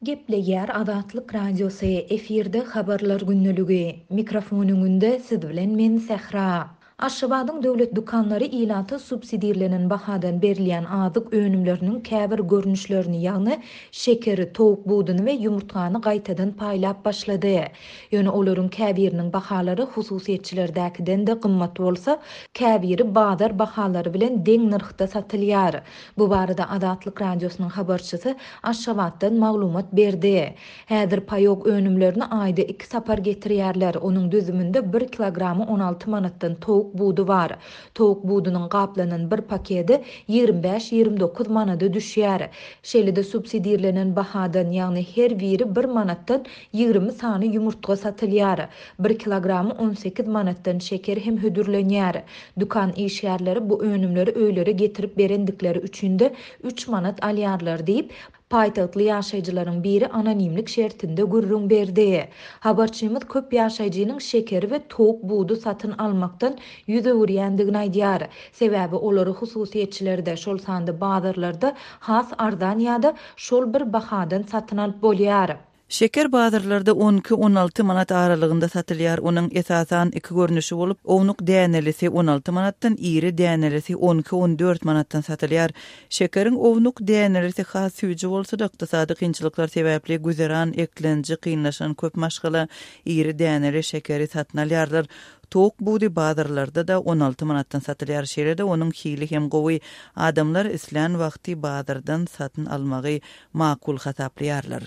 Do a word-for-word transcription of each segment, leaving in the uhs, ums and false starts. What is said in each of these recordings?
Gepleýär Azatlyk Radiosy, efirde Habarlar gündeligi. Mikrofon öňünde siz bilen men Sähra. Aşgabadyň döwlet dükanlary ilata subsidirlenen bahadan berilýän azyk önümleriniň käbir görnüşlerini, ýagny şekeri, towuk buduny we ýumurtgany gaýtadan paýlap başlady. Ýöne olaryň käbiriniň bahalary hususyýetçilerdäkiden-de gymmat bolsa, käbiri bazar bahalary bilen deň nyrhda satylýar. Bu barada Azatlyk Radiosynyň habarçysy Aşgabatdan maglumat berdi. Häzir paýok önümlerini aýda iki sapar getirýärler. Onuň düzüminde bir kilogramy on alty manatdan towuk budy bar. Towuk budunyň gaplanan bir paketi ýigrimi bäş-ýigrimi dokuz manada düşýär. Şeýle-de subsidirlenen bahadan, ýagny her biri bir manatdan ýigrimi sany ýumurtga satylýar. Bir kilogramy on sekiz manatdan şeker hem hödürlenýär. Dükan işgärleri bu önümleri öýlere getirip berendikleri üçin-de üç manat alýarlar diýip, paýtagtly ýaşaýjylaryň biri anonimlik şertinde gürrüň berdi. Habarçymyz köp ýaşaýjynyň şekeri we towuk budy satyn almakdan ýüz öwürýändigini aýdýar. Sebäbi olary hususyýetçilerde, şol sanda bazarlarda has arzan ýa-da şol bir bahadan satyn alyp bolýar. Şeker bazarlarda on iki on alty manat aralygynda satylýar. Onuň esasan iki görnüşi bolup, ownuk dänelisi on alty manatdan, iri dänelisi on iki on dört manatdan satylýar. Şekeriň ownuk dänelisi has süýji bolsa-da, ykdysady kynçylyklar sebäpli güzeran eklenji kynlaşan köp maşgala iri däneli şekeri satyn alýarlar. Towuk budy bazarlarda da on alty manatdan satylýar. Şeýle-de onuň hili hem gowy. Adamlar islän wagty bazardan satyn almagy makul hasaplaýarlar.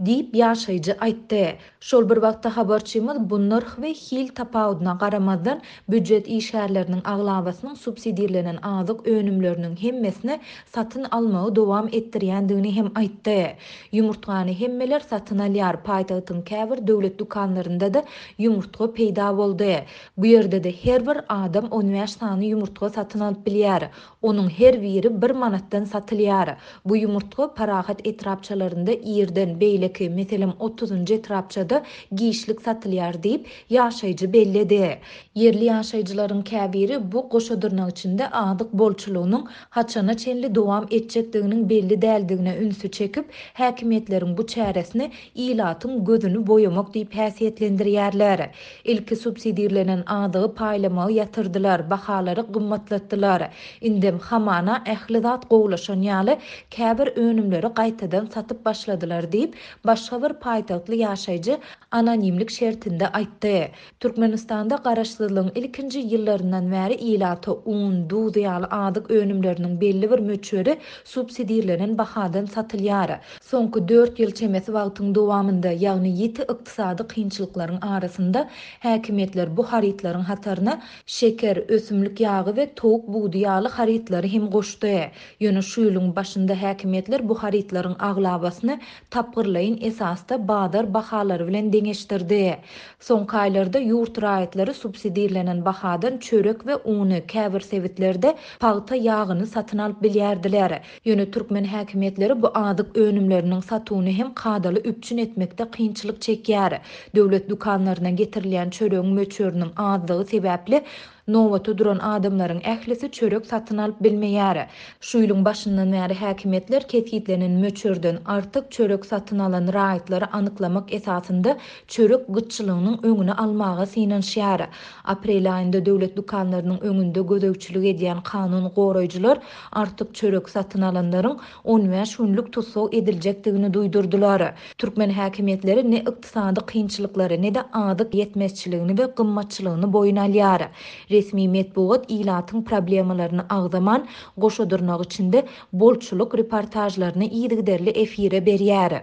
Diýip ýaşaýjy aýtdy. Şol bir wagtda habarçymyz bu nyrh we hil tapawudyna garamazdan býujet işgärleriniň aglabasynyň subsidirlenen azyk önümleriniň hemmesini satyn almagy dowam etdirýändigini hem aýtdy. Ýumurtgany hemmeler satyn alýar. Paýtagtyň käbir döwlet dükanlarynda-da ýumurtga peýda boldy. Bu ýerde-de her bir adam on bäş sany ýumurtga satyn alyp bilýär. Onuň her biri bir manatdan satylýar. Bu ýumurtga Parahat etrapçalarynda irden beýleki, meselem otuzunjy etrapçada giçlik satylýar diýip ýaşaýjy belledi. Ýerli ýaşaýjylaryň käbiri bu goşa dyrnak içinde azyk bolçulygynyň haçana çenli dowam etjekdiginiň belli däldigine ünsi çekip, häkimiýetleriň bu çäresini ilatyň gözüni boýamak diýip häsiýetlendirýärler. Ilki subsidirlenen azygy paýlamagy ýatyrdylar, bahalary gymmatlatdylar. Indem hamana ähli zat gowulaşan ýaly käbir önümleri gaýtadan satyp başladylar diýip, başga bir paýtagtly ýaşaýjy anonimlik şertinde aýtdy. Türkmenistanda garaşsyzlygyň ilkinji ýyllaryndan bäri ilata un, duz ýaly azyk önümleriniň belli bir möçberi subsidirlenen bahadan satylýar. Soňky dört ýyl çemesi wagtyň dowamynda, ýagny ýiti ykdysady kynçylyklaryň arasynda häkimiýetler bu harytlaryň hataryna şeker, ösümlik ýagy we towuk budy ýaly harytlary hem goşdy. Ýöne şu ýylyň başynda häkimiýetler bu harytlaryň aglabasyny tapgyrlaýyn esasda bazar bahalary bilen deňeşdirdi. Soňky aýlarda ýurt raýatlary subsidirlenen bahadan çörek we uny käbir sebitlerde pagta ýagyny satyn alyp bilýärdiler. Ýöne türkmen häkimiýetleri bu azyk önümleriniň satuwyny hem kadaly üpjün etmekde kynçylyk çekýär. Döwlet dükanlaryna getirilýän çöregiň möçberiniň azlygy sebäpli nobata duran adamlaryň ählisi çörek satyn alyp bilmeýär. Şu ýylyň başyndan bäri häkimiýetler kesgitlenen möçberden artyk çörek satyn alan raýatlary anyklamak esasynda çörek gytçylygynyň öňüni almaga synanyşýar. Aprel aýynda döwlet dükanlarynyň öňünde gözegçilik edýän kanun goraýjylar artyk çörek satyn alanlaryň on bäş günlük tussag ediljekdigini duýdurdylar. Türkmen häkimiýetleri ne ykdysady kynçylyklary, ne-de azyk ýetmezçiligini we gymmatçylygyny boýun alýar. Resmi metbugat ilatyň problemalaryny agzaman, goşa dyrnak içinde bolçulyk reportajlaryny yzygiderli efire berýär.